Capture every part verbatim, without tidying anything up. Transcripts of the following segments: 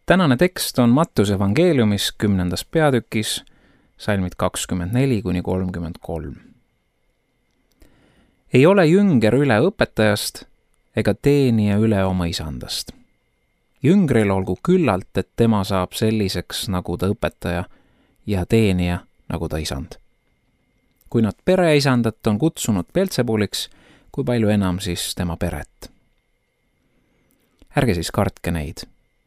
Tänane tekst on Mattuse evangeeliumis kümnendas peatükis, salmid kakskümmend neli kuni kolmkümmend kolm. Ei ole jünger üle õpetajast ega teenija üle oma isandast. Jüngril olgu küllalt, et tema saab selliseks nagu ta õpetaja ja teenija nagu ta isand. Kui nad pereisandat on kutsunud Belzebuliks, kui palju enam siis tema peret. Ärge siis kartke neid.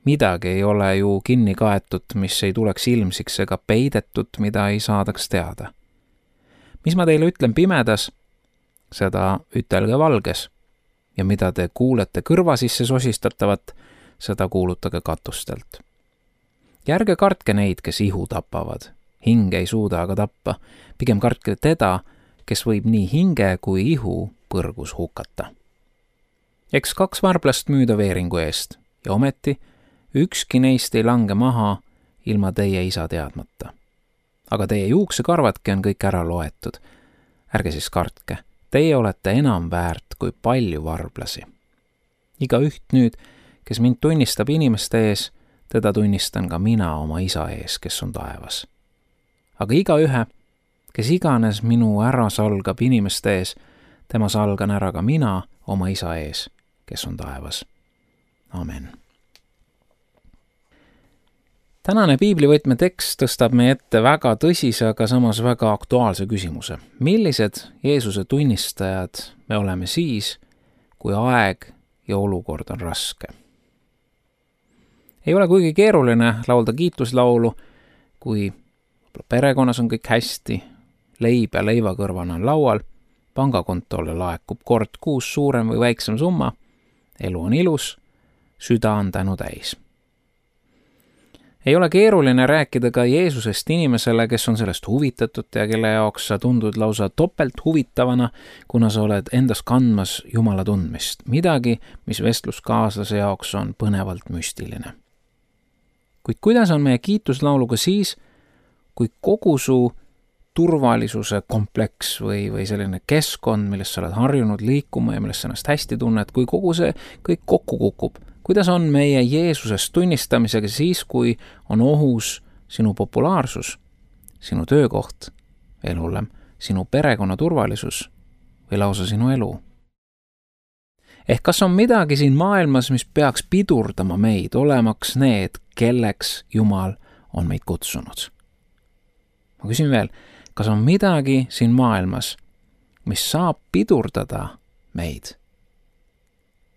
Midagi ei ole ju kinni kaetud, mis ei tuleks ilmsiks ega peidetud, mida ei saadaks teada. Mis ma teile ütlen pimedas, seda ütelge valges, ja mida te kuulete kõrva sisse sosistatavat, seda kuulutage katustelt. Ja ärge kartke neid, kes ihu tapavad, hinge ei suuda aga tappa, pigem kartke teda, kes võib nii hinge kui ihu põrgus hukata. Eks kaks varblast müüda veeringu eest, ja ometi ükski neist ei lange maha ilma teie isa teadmata. Aga teie juuksekarvadki on kõik ära loetud. Ärge siis kartke, teie olete enam väärt kui palju varblasi. Iga üht nüüd, kes mind tunnistab inimeste ees, teda tunnistan ka mina oma isa ees, kes on taevas. Aga iga ühe, kes iganes minu ära salgab inimeste ees, tema salgan ära ka mina oma isa ees, kes on taevas. Amen. Tänane piiblivõtme tekst tõstab meie ette väga tõsise, aga samas väga aktuaalse küsimuse. Millised Jeesuse tunnistajad me oleme siis, kui aeg ja olukord on raske? Ei ole kuigi keeruline laulda kiituslaulu, kui perekonnas on kõik hästi, leib ja leivakõrvana on laual, pangakontole laekub kord kuus suurem või väiksem summa, elu on ilus, süda on tänu täis. Ei ole keeruline rääkida ka Jeesusest inimesele, kes on sellest huvitatud ja kelle jaoks sa tundud lausa topelt huvitavana, kuna sa oled endas kandmas Jumala tundmist. Midagi, mis vestluskaaslase jaoks on põnevalt müstiline. Kuid kuidas on meie kiituslauluga siis, kui kogu su turvalisuse kompleks või, või selline keskkond, millest sa oled harjunud liikuma ja millest sa ennast hästi tunned, kui kogu see kõik kokku kukub? Kuidas on meie Jeesusest tunnistamisega siis, kui on ohus sinu populaarsus, sinu töökoht, veel hullem, sinu perekonna turvalisus või lausa sinu elu? Ehk kas on midagi siin maailmas, mis peaks pidurdama meid, olemaks need, kelleks Jumal on meid kutsunud? Ma küsin veel, kas on midagi siin maailmas, mis saab pidurdada meid?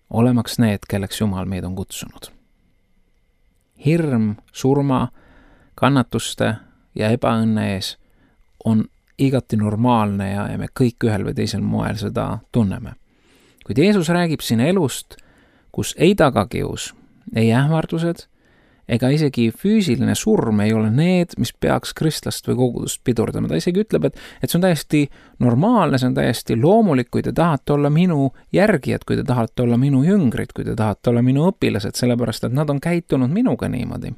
Olemaks need, kelleks Jumal meid on kutsunud. Hirm, surma, kannatuste ja ebaõnne ees on igati normaalne ja, ja me kõik ühel või teisel moel seda tunneme. Kuid Jeesus räägib siin elust, kus ei tagakius, ei ähvardused ega isegi füüsiline surm ei ole need, mis peaks kristlast või kogudust pidurdama. Ta isegi ütleb, et, et see on täiesti normaalne, see on täiesti loomulik, kui te tahate olla minu järgijad, kui te tahate olla minu jüngrid, kui te tahate olla minu õpilased, sellepärast, et nad on käitunud minuga niimoodi.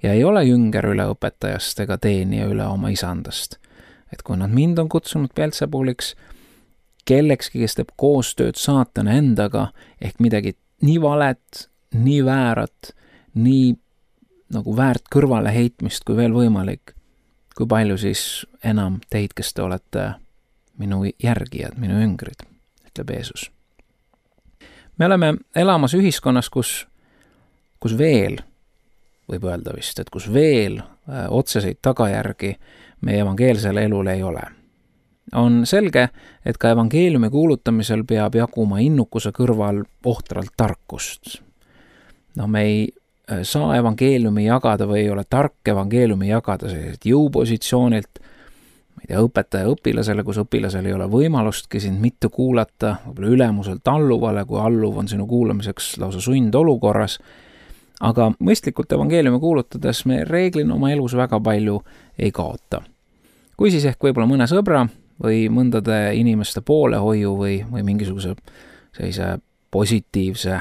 Ja ei ole jünger üle õpetajast ega teenija üle oma isandast. Et kui nad mind on kutsunud Belzebuliks, kellekski, kes teeb koostööd saatana endaga, ehk midagi nii valet, nii väärat, nii nagu väärt kõrvale heitmist kui veel võimalik, kui palju siis enam teid, kes te olete minu järgijad, minu jüngrid, ütleb Jeesus. Me oleme elamas ühiskonnas, kus, kus veel, võib öelda vist, et kus veel äh, otseseid tagajärgi meie evangeelsele elule ei ole. On selge, et ka evangeeliumi kuulutamisel peab jaguma innukuse kõrval ohtralt tarkust. No me ei saa evangeeliumi jagada või ei ole tark evangeeliumi jagada sellised jõupositsioonilt, ma ei tea, õpetaja õpilasele, kus õpilasel ei ole võimalustki sind mitte kuulata, võib-olla ülemuselt alluvale, kui alluv on sinu kuulamiseks lausa sundolukorras, aga mõistlikult evangeeliumi kuulutades me reeglina oma elus väga palju ei kaota. Kui siis ehk võib-olla mõne sõbra või mõndade inimeste poolehoiu või, või mingisuguse sellise positiivse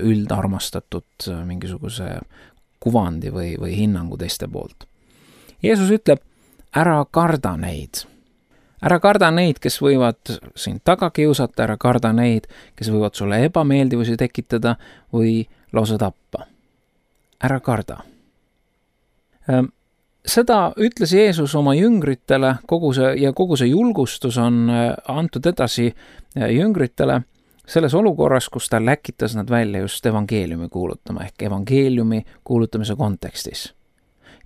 üldarmastatud mingisuguse kuvandi või, või hinnangu teiste poolt. Jeesus ütleb, ära karda neid. Ära karda neid, kes võivad sind taga kiusata, ära karda neid, kes võivad sulle ebameeldivusi tekitada või lausa tappa. ära karda. Seda ütles Jeesus oma jüngritele, kogu see, ja kogu see julgustus on antud edasi jüngritele selles olukorras, kus ta läkitas nad välja just evangeeliumi kuulutama, ehk evangeeliumi kuulutamise kontekstis.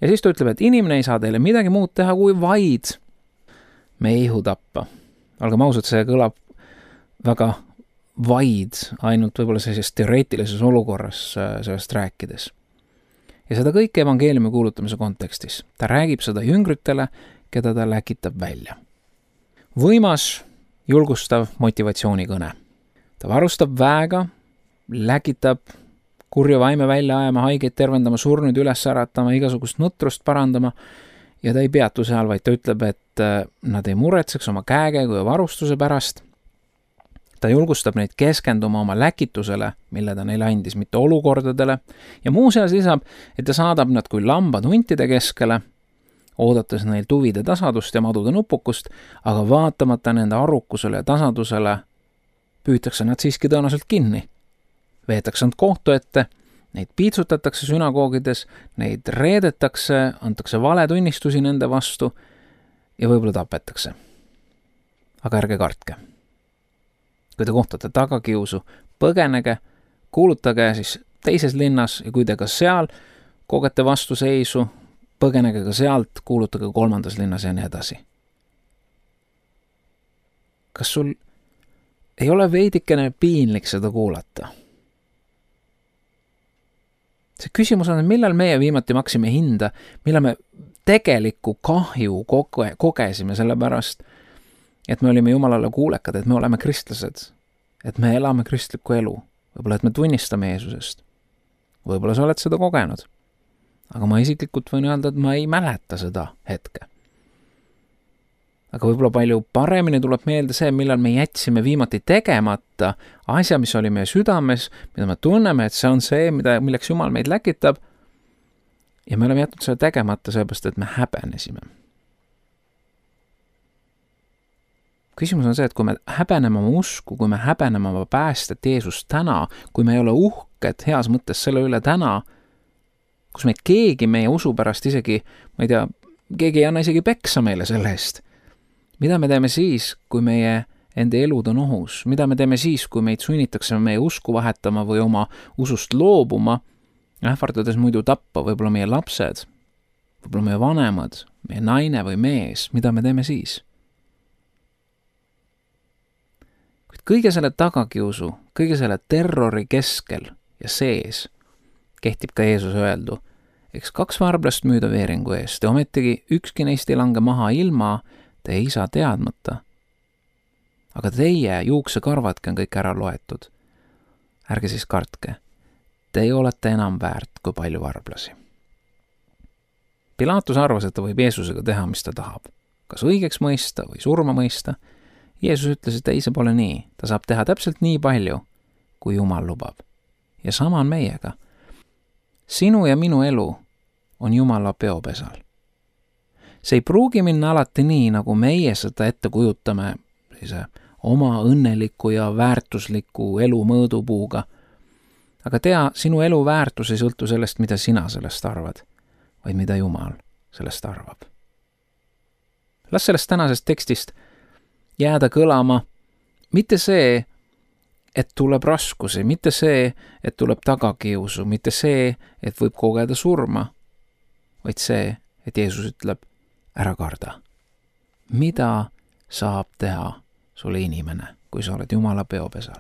Ja siis ta ütleb, et inimene ei saa teile midagi muud teha, kui vaid meihu tappa. Olgem ausad, see kõlab väga vaid, ainult võib-olla sellises teoreetilises olukorras sellest rääkides. Ja seda kõike evangeeliumi kuulutamise kontekstis. Ta räägib seda jüngritele, keda ta läkitab välja. Võimas, julgustav motivatsioonikõne. Ta varustab väega, läkitab kurja vaime välja ajama, haigeid tervendama, surnud üles äratama, igasugust nutrust parandama ja ta ei peatu seal, vaid ta ütleb, et nad ei muretseks oma käekäigu ja varustuse pärast. Ta julgustab neid keskenduma oma läkitusele, mille ta neile andis, mitte olukordadele, ja muuseas lisab, et ta saadab nad kui lambad huntide keskele, oodates neil tuvide tasadust ja madude nupukust, aga vaatamata nende arrukusele ja tasadusele püütakse nad siiski tõenäoliselt kinni. Veetakse nad kohtu ette, neid piitsutatakse sünagoogides, neid reedetakse, antakse valetunnistusi nende vastu ja võib-olla tapetakse. Aga ärge kartke. Kui te kohtate tagakiusu, põgenege, kuulutage siis teises linnas ja kui te ka seal kogete vastuseisu, põgenege ka sealt, kuulutage kolmandas linnas ja nii edasi. Kas sul ei ole veidikene piinlik seda kuulata? See küsimus on, et millal meie viimati maksime hinda, millal me tegelikku kahju koge, kogesime selle pärast, et me olime Jumalale kuulekad, et me oleme kristlased, et me elame kristlikku elu, võib-olla et me tunnistame Jeesusest. Võib-olla sa oled seda kogenud, aga ma isiklikult võin öelda, et ma ei mäleta seda hetke. Aga võib-olla palju paremini tuleb meelde see, millal me jätsime viimati tegemata asja, mis oli meie südames, mida me tunneme, et see on see, mida, milleks Jumal meid läkitab ja me oleme jätnud seda tegemata seepärast, et me häbenesime. Küsimus on see, et kui me häbeneme oma usku, kui me häbeneme oma päästet Jeesust täna, kui me ei ole uhked heas mõttes selle üle täna, kus meid keegi meie usu pärast isegi, ma ei tea, keegi ei anna isegi peksa meile selle eest. Mida me teeme siis, kui meie enda elud on ohus? Mida me teeme siis, kui meid sunnitakse meie usku vahetama või oma usust loobuma, ähvardades muidu tappa võib-olla meie lapsed, võib-olla meie vanemad, meie naine või mees? Mida me teeme siis? Kuid kõige selle tagakiusu, kõige selle terrori keskel ja sees kehtib ka Jeesus öeldu, eks kaks varblast müüda veeringu eest ja ometigi ükski neist ei lange maha ilma te isa teadmata. Aga teie juuksekarvadki on kõik ära loetud. Ärge siis kartke. Teie olete enam väärt kui palju varblasi. Pilaatus arvas, et ta võib Jeesusega teha, mis ta tahab. Kas õigeks mõista või surma mõista. Jeesus ütles, et ei, see pole nii. Ta saab teha täpselt nii palju, kui Jumal lubab. Ja sama on meiega. Sinu ja minu elu on Jumala peopesal. See ei pruugi minna alati nii, nagu meie seda ette kujutame oma õnneliku ja väärtusliku elu mõõdupuuga. Aga tea, sinu elu väärtus ei sõltu sellest, mida sina sellest arvad, vaid mida Jumal sellest arvab. Las sellest tänasest tekstist jääda kõlama mitte see, et tuleb raskusi, mitte see, et tuleb tagakiusu, mitte see, et võib kogeda surma, vaid see, et Jeesus ütleb, ära karda. Mida saab teha sulle inimene, kui sa oled Jumala peopesal?